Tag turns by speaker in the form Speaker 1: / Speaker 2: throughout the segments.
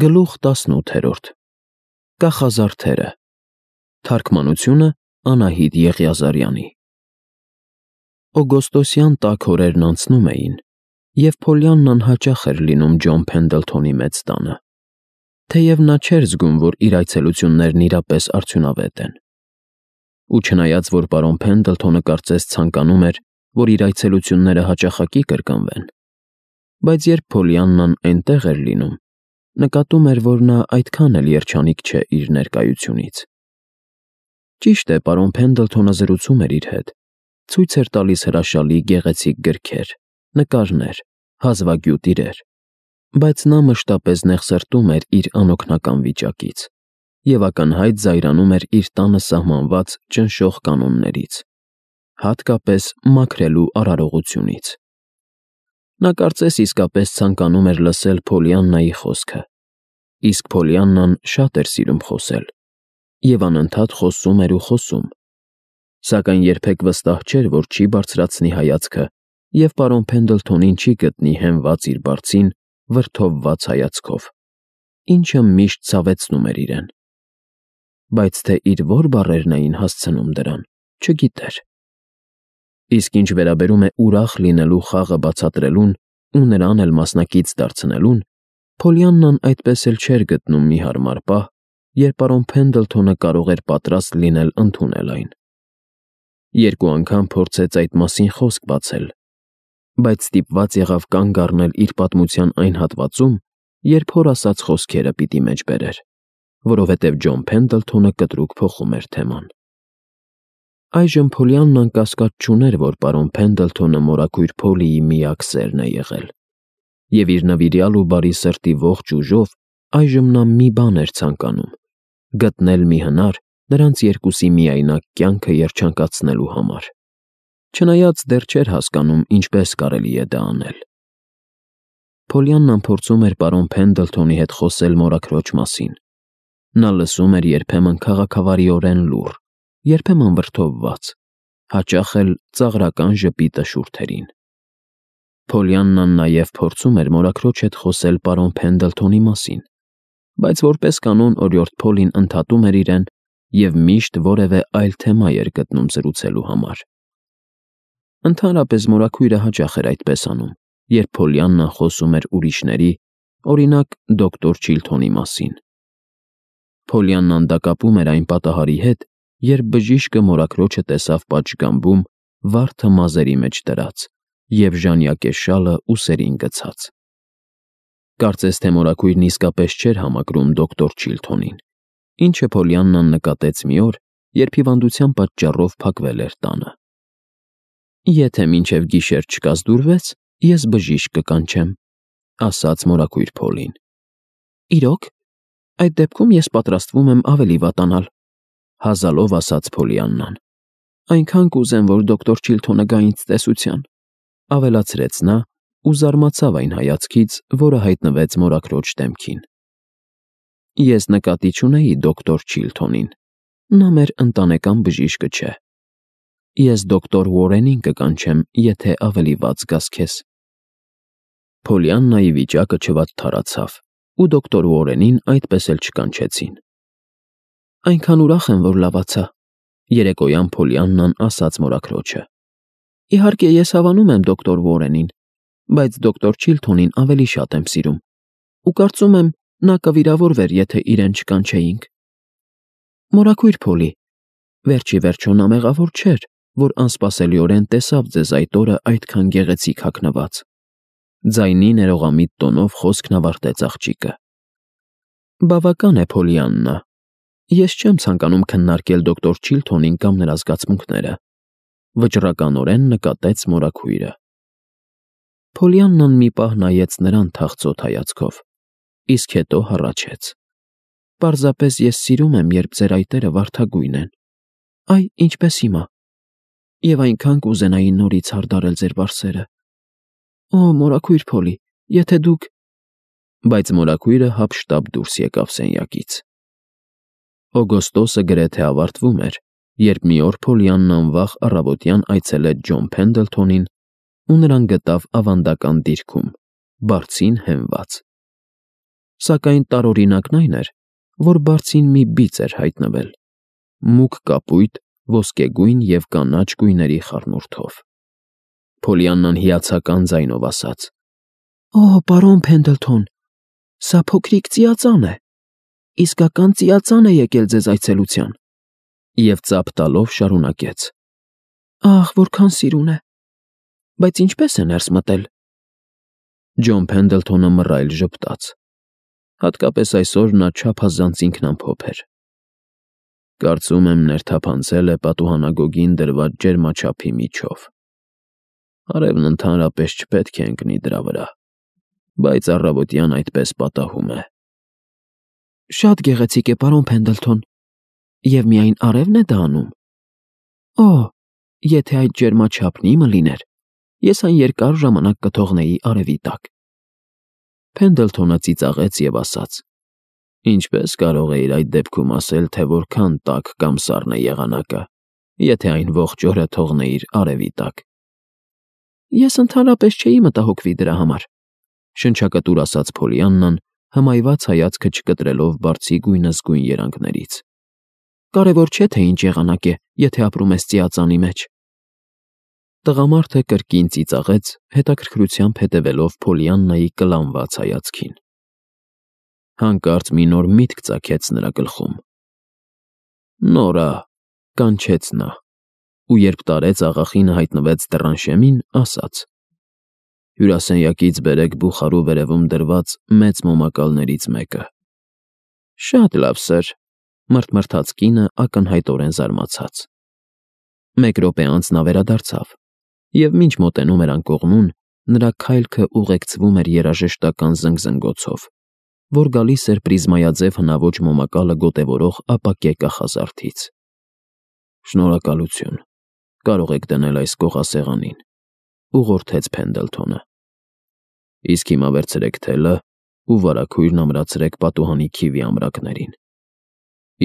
Speaker 1: Գլուխ 18 Կախազարդերը Թարգմանությունը Անահիտ Եղիազարյանի Օգոստոսյան տաք օրերն անցնում էին, և Փոլիաննան հաճախ էր լինում Ջոն Փենդլթոնի մեծ տանը, թեև նա չէր զգում, որ իր այցելություններն իրապես արդյունավետ են։ Ու չնայած, որ պարոն Փենդլթոնը կարծես ցանկանում էր, որ իր այցելությունները հաճախակի կրկնվեն, բայց երբ Փոլիաննան այնտեղ էր լինում, նկատում էր, որ նա այդքան էլ երջանիկ չէ իր ներկայությունից։ Ճիշտ է, պարոն Փենդլթոնը զրուցում էր իր հետ, ցույց էր տալիս հրաշալի գեղեցիկ գրքեր, նկարներ, հազվագյուտ իրեր, բայց նա մշտապես նեղսրտում էր իր անօգնական վիճակից և ակնհայտ զայրանում էր իր տանը սահմանված ճնշող կանոններից, հատկապես մաքրելու արարողությունից։ Նա կարծես իսկապես ցանկանում էր լսել Փոլիաննայի խոսքը, իսկ Փոլիաննան շատ էր սիրում խոսել, և անընդհատ խոսում էր ու խոսում, սակայն երբեք վստահ չէր, որ չի բարձրացնի հայացքը և պարոն Փենդլթոնին չի գտնի հենված իր բարձին վրդովված հայացքով, ինչը միշտ ցավեցնում էր իրեն։ Բայց թե իր որ բառերն էին հասցնում դրան, չգիտեր։ Իսկ ինչ վերաբերում է ուրախ լինելու խաղը բացատրելուն ու նրան էլ մասնակից դարձնելուն, Փոլիաննան այդպես էլ չէր գտնում մի հարմար պահ, երբ պարոն Փենդլթոնը կարող էր պատրաստ լինել ընդունել այն։ Երկու անգամ փորձեց այդ մասին խոսք բացել, բայց ստիպված եղավ կանգ առնել իր պատմության այն հատվածում, երբ հոր ասած խոսքերը պիտի մեջ բերեր, որովհետև Ջոն Փենդլթոնը կտրուկ փոխում էր թեման։ Այժմ Փոլիաննան կասկած չուներ, որ պարոն Փենդլթոնը մորաքույր Փոլիի միակ սերն է եղել, և իր նվիրյալ ու բարի սրտի ողջ ուժով այժմ նա մի բան էր ցանկանում՝ գտնել մի հնար նրանց երկուսի միայնակ կյանքը երջանկացնելու համար, չնայած դեռ չէր հասկանում ինչպես կարելի է դա անել։ Փոլիաննան փորձում էր պարոն Փենդլթոնի հետ խոսել մորաքրոջ մասին։ Նա լսում էր երբեմն քաղաքավարիորեն լուռ, երբեմն վրդովված, հաճախ էլ ծաղրական ժպիտը շուրթերին։ Փոլիաննան նաև փորձում էր մորաքրոջ հետ խոսել պարոն Փենդլթոնի մասին, բայց որպես կանոն օրիորդ Փոլին ընդհատում էր իրեն և միշտ որևէ այլ թեմա էր գտնում զրուցելու համար։ Ընդհանրապես մորաքույրը հաճախ էր այդպես անում, երբ Փոլիաննան խոսում էր ուրիշների, օրինակ դոկտոր Չիլթոնի մասին։ Փոլիաննան դա կապում էր այն պատահարի հետ, երբ բժիշկը մորաքրոջը տեսավ պատշգամբում վարդը մազերի մեջ դրած և ժանյակե շալը ուսերին գցած։ Կարծես թե մորաքույրն իսկապես չէր համակրում դոկտոր Չիլթոնին, ինչը Փոլիաննան նկատեց մի օր, երբ հիվանդության պատճառով փակվել էր տանը։ «Եթե մինչև գիշեր չկազդուրվեց, ես բժիշկ կկանչեմ», ասաց մորաքույր Փոլին։ «Իրոք, այդ դեպքում ես պատրաստվում եմ ավելի վատանալ», հազալով ասաց Փոլիաննան։ «Այնքան կուզեմ, որ դոկտոր Չիլթոնը գա ինձ տեսության», ավելացրեց նա ու զարմացավ այն հայացքից, որը հայտնվեց մորաքրոջ դեմքին։ «Ես նկատի չունեի դոկտոր Չիլթոնին, նա մեր ընտանեկան բժիշկը չէ։ Ես դոկտոր Ուորենին կկանչեմ, եթե ավելի վատ զգաս քեզ»։ Փոլիաննայի վիճակը չվատթարացավ, ու դոկտոր Ուորենին այդպես էլ չկանչեցին։ «Այնքան ուրախ եմ, որ լավացա», երեկոյան Փոլիաննան ասաց մորաքրոջը։ «Իհարկե, ես հավանում եմ դոկտոր Ուորենին, բայց դոկտոր Չիլթոնին ավելի շատ եմ սիրում, ու կարծում եմ, նա կվիրավորվեր, եթե իրեն չկանչեինք»։ «Մորաքույր Փոլի, վերջ ի վերջո նա մեղավոր չէր, որ անսպասելիորեն տեսավ ձեզ այդ օրը այդքան գեղեցիկ հագնված», ձայնի ներողամիտ տոնով խոսքն ավարտեց աղջիկը։ «Բավական է, Փոլիաննա, ես չեմ ցանկանում քննարկել դոկտոր Չիլթոնին կամ նրա զգացմունքները», վճռականորեն նկատեց մորաքույրը։ Փոլիաննան մի պահ նայեց նրան թախծոտ հայացքով, իսկ հետո հառաչեց. «Պարզապես ես սիրում եմ, երբ ձեր այտերը վարդագույն են, այ ինչպես հիմա, և այնքան կուզենայի նորից հարդարել ձեր վարսերը։ Օ, մորաքույր Փոլի, եթե դուք…» Բայց մորաքույրը հափշտապ դուրս եկավ սենյակից։ Օգոստոսը գրեթե ավարտվում էր, երբ մի օր Փոլիաննան վաղ առավոտյան այցելեց Ջոն Փենդլթոնին ու նրան գտավ ավանդական դիրքում, բարձին հենված։ Սակայն տարօրինակն այն էր, որ բարձին մի բիծ էր հայտնվել, մուգ կապույտ, ոսկեգույն և կանաչ գույների խառնուրդով։ Փոլիաննան հիացական ձայնով ասաց. «Օ, պարոն Փենդլթոն, սա փոքրիկ ծիածան է, իսկական ծիածան է եկել ձեզ այցելության»։ Եվ ծափ տալով շարունակեց. «Ահ, որքան սիրուն է, բայց ինչպե՞ս է ներս մտել»։ Ջոն Փենդլթոնը մռայլ ժպտաց։ Հատկապես այսօր նա չափազանց ինքնամփոփ էր։ «Կարծում եմ ներթափանցել է պատուհանագոգին դրված ջերմաչափի միջով։ Արևն ընդհանրապես չպետք է ընկնի դրա վրա, բայց առավոտյան այդպես պատահում է»։ «Շատ գեղեցիկ է, պարոն Փենդլթոն, և միայն արևն է դա անում։ Օ, եթե այդ ջերմաչափն իմը լիներ, ես այն երկար ժամանակ կթողնեի արևի տակ»։ Փենդլթոնը ծիծաղեց և ասաց. «Ինչպես կարող էիր այդ դեպքում ասել, թե որքան տաք կամ սառն է եղանակը, եթե այն ողջ օրը թողնեիր արևի տակ»։ «Ես ընդհանրապես չէի մտահոգվի դրա համար», շնչակտուր ասաց Փոլիաննան, հմայված հայացքը չկտրելով բարձի գույնզգույն երանգներից։ «Կարևոր չէ, թե ինչ եղանակ է, եթե ապրում ես ծիածանի մեջ»։ Տղամարդը կրկին ծիծաղեց, հետաքրքրությամբ հետևելով Փոլիաննայի կլանված հայացքին։ Հանկարծ մի նոր միտք ծագեց նրա գլխում։ «Նորա», կանչեց նա, ու երբ տարեց աղախինը հայտնվեց դռան շեմին, ասաց. «Հյուրասենյակից բերեք բուխարու վերևում դրված մեծ մոմակալներից մեկը»։ «Շատ լավ, սըր», մռթմռթաց կինը ակնհայտորեն զարմացած։ Մեկ րոպե անց նա վերադարձավ, և մինչ մոտենում էր անկողնուն, նրա քայլքը ուղեկցվում էր երաժշտական զնգզնգոցով, որ գալիս էր պրիզմայաձև հնաոճ մոմակալը գոտևորող ապակե կախազարդից։ «Շնորհակալություն, կարող եք դնել այս կողասեղանին», ուղղորդեց Փենդլթոնը։ «Իսկ հիմա վերցրեք թելը ու վարագույրն ամրացրեք պատուհանի քիվի ամրակներին։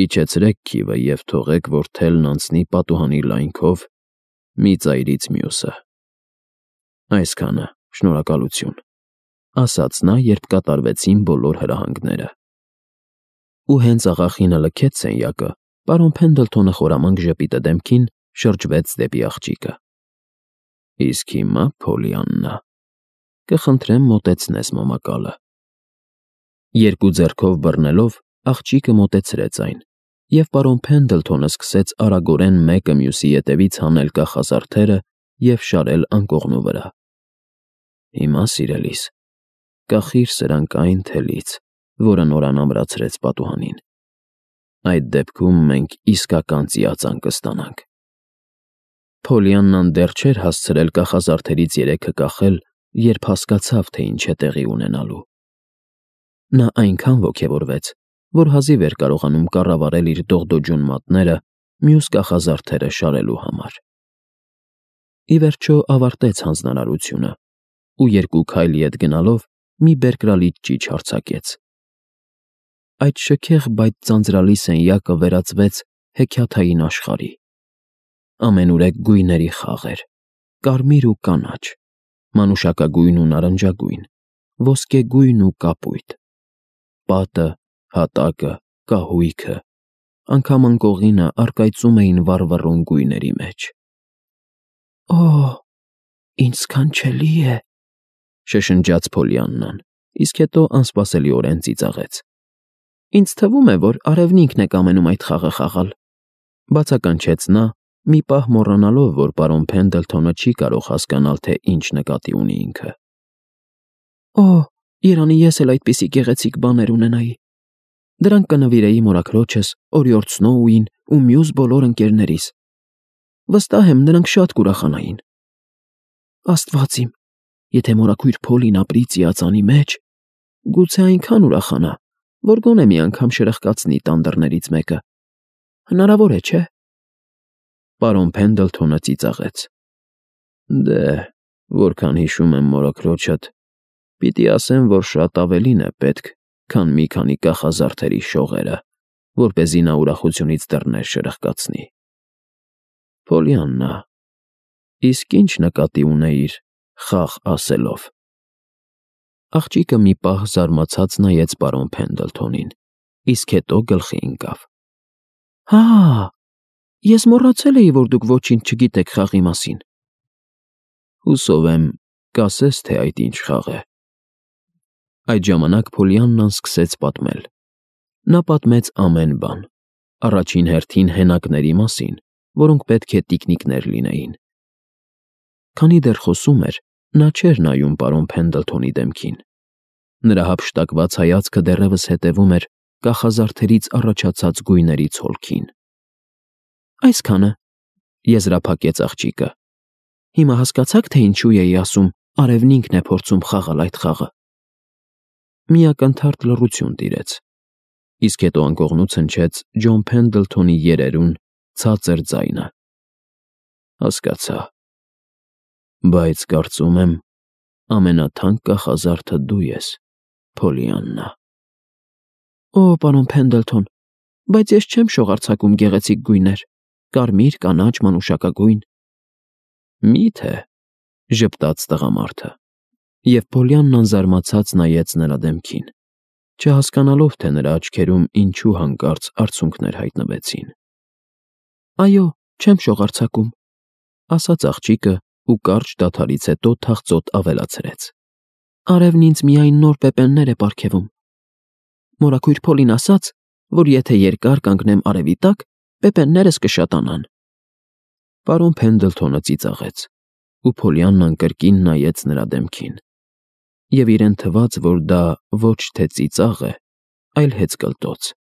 Speaker 1: Իջեցրեք քիվը և թողեք, որ թելն անցնի պատուհանի լայնքով մի ծայրից մյուսը»։ «Այսքանը, շնորհակալություն», ասաց նա, երբ կատարվեցին բոլոր հրահանգները։ Ու հենց աղախինը լքեց սենյակը, պարոն Փենդլթոնը խորամանկ ժպիտը դեմքին շրջվեց դեպի աղջիկը։ «Իսկ հիմա, Փոլիաննա, կխնդրեմ մոտեցնես մոմակալը»։ Երկու ձեռքով բռնելով, աղջիկը մոտեցրեց այն, և պարոն Փենդլթոնը սկսեց արագորեն մեկը մյուսի ետևից հանել կախազարդերը և շարել անկողնու վրա։ «Հիմա, սիրելիս, կախիր սրանք այն թելից, որը Նորան ամրացրեց պատուհանին։ Այդ դեպքում մենք իսկական ծիածան կստանանք»։ Փոլիաննան դեռ չէր հասցրել կախազարդերից երեքը կախել, երբ հասկացավ, թե ինչ է տեղի ունենալու։ Նա այնքան ոգևորվեց, որ հազիվ էր կարողանում կառավարել իր դողդոջուն մատները մյուս կախազարդերը շարելու համար։ Ի վերջո ավարտեց հանձնարարությունը ու երկու քայլ ետ գնալով մի բերկրալիք ճիչ արձակեց։ Այդ շքեղ, բայց ձանձրալի սենյակը վերածվեց հեքիաթային աշխարհի։ Ամենուրեք գույների խաղ էր՝ կարմիր ու կանաչ, մանուշակագույն ու նարնջագույն, ոսկեգույն ու կապույտ։ Պատը, հատակը, կահույքը, անգամ անկողինը առկայծում էին վառվռուն գույների մեջ։ «Օ, ինչ սքանչելի է», շշնջաց Փոլիաննան, իսկ հետո անսպասելիորեն ծիծաղեց։ «Ինձ թվում է, որ արևն ինքն է կամենում այդ խաղը խաղալ», բացականչեց նա, մի պահ մոռանալով, որ պարոն Փենդլթոնը չի կարող հասկանալ, թե ինչ նկատի ունի ինքը։ «Օ, երանի ես էլ այդպիսի գեղեցիկ բաներ ունենայի։ Դրանք կնվիրեի մորաքրոջս, օրիորդ Սնոուին ու մյուս բոլոր ընկերներիս։ Վստահ եմ, նրանք շատ կուրախանային։ Աստված իմ, եթե մորաքույր Փոլին ապրի ծիածանի մեջ, գուցե այնքան ուրախանա, որ գոնե մի անգամ շրխկացնի տան դռներից մեկը։ Հնարավոր է, չէ՞։ Պարոն Փենդլթոնը ծիծաղեց։ Դե, որքան հիշում եմ մորաքրոջդ, պիտի ասեմ, որ շատ ավելին է պետք, քան մի քանի կախազարդերի շողերը, որպեսզի նա ուրախությունից դռներ շրխկացնի։ Փոլիաննա, իսկ ինչ նկատի ունեիր խաղ ասելով։ Աղջիկը մի պահ զարմացած նայեց պարոն Փենդլթոնին, իսկ հետո գլխի ընկավ. «Հա, ես մոռացել էի, որ դուք ոչինչ չգիտեք խաղի մասին»։ «Հուսով եմ, կասես, թե այդ ինչ խաղ է»։ Այդ ժամանակ Փոլիաննան սկսեց պատմել։ Նա պատմեց ամեն բան, առաջին հերթին հենակների մասին, որոնք պետք է տիկնիկներ լինեին։ Քանի դեռ խոսում էր, նա չէր նայում պարոն Փենդլթոնի դեմքին։ Նրա հափշտակված հայացքը դեռևս հետևում էր կախազարդերից առաջացած գույների ցոլքին։ «Այսքանը», եզրափակեց աղջիկը։ «Հիմա հասկացա՞ք, թե ինչու էի ասում, արևն ինքն է փորձում խաղալ այդ խաղը»։ Մի ակնթարթ լռություն տիրեց, իսկ հետո անկողնուց հնչեց Ջոն Փենդլթոնի երերուն ցածր ձայնը. «Հասկացա, բայց կարծում եմ, ամենաթանկ կախազարդը դու ես, Փոլիաննա»։ «Օ, պարոն Փենդլթոն, բայց ես չեմ շողարցակում գեղեցիկ գույներ, կարմիր, կանաչ, մանուշակագույն»։ «Մի՞թե», ժպտաց տղամարդը, և Փոլիաննան զարմացած նայեց նրա դեմքին, չհասկանալով, թե նրա աչքերում ինչու հանկարծ արցունքներ հայտնվեցին։ «Այո, չեմ շողարցակում», ասաց աղջիկը ու կարճ դադարից հետո թախծոտ ավելացրեց. «Արևն ինձ միայն նոր պեպեններ է պարգևում։ Մորաքույր Փոլին ասաց, որ եթե երկար կանգնեմ արևի տակ, պեպեններս կշատանան»։ Պարոն Փենդլթոնը ծիծաղեց, ու Փոլիաննան կրկին նայեց նրա դեմքին, և իրեն թվաց, որ դա ոչ թե ծիծաղ է, այլ հեծկլտոց։